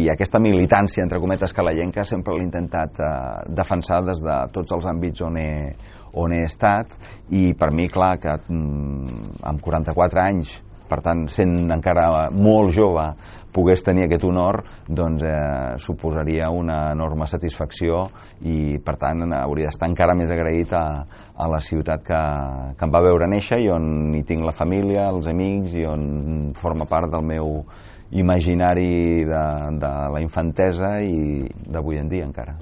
i aquesta militància, entre cometes, calallenca sempre l'he intentat defensar des de tots els àmbits on he estat, i per mi, clar, que amb 44 anys, per tant, sent encara molt jove, pogués tenir aquest honor, doncs suposaria una enorme satisfacció, i per tant hauria d'estar encara més agraït a la ciutat que em va veure néixer i on hi tinc la família, els amics, i on forma part del meu imaginari de la infantesa i d'avui en dia encara.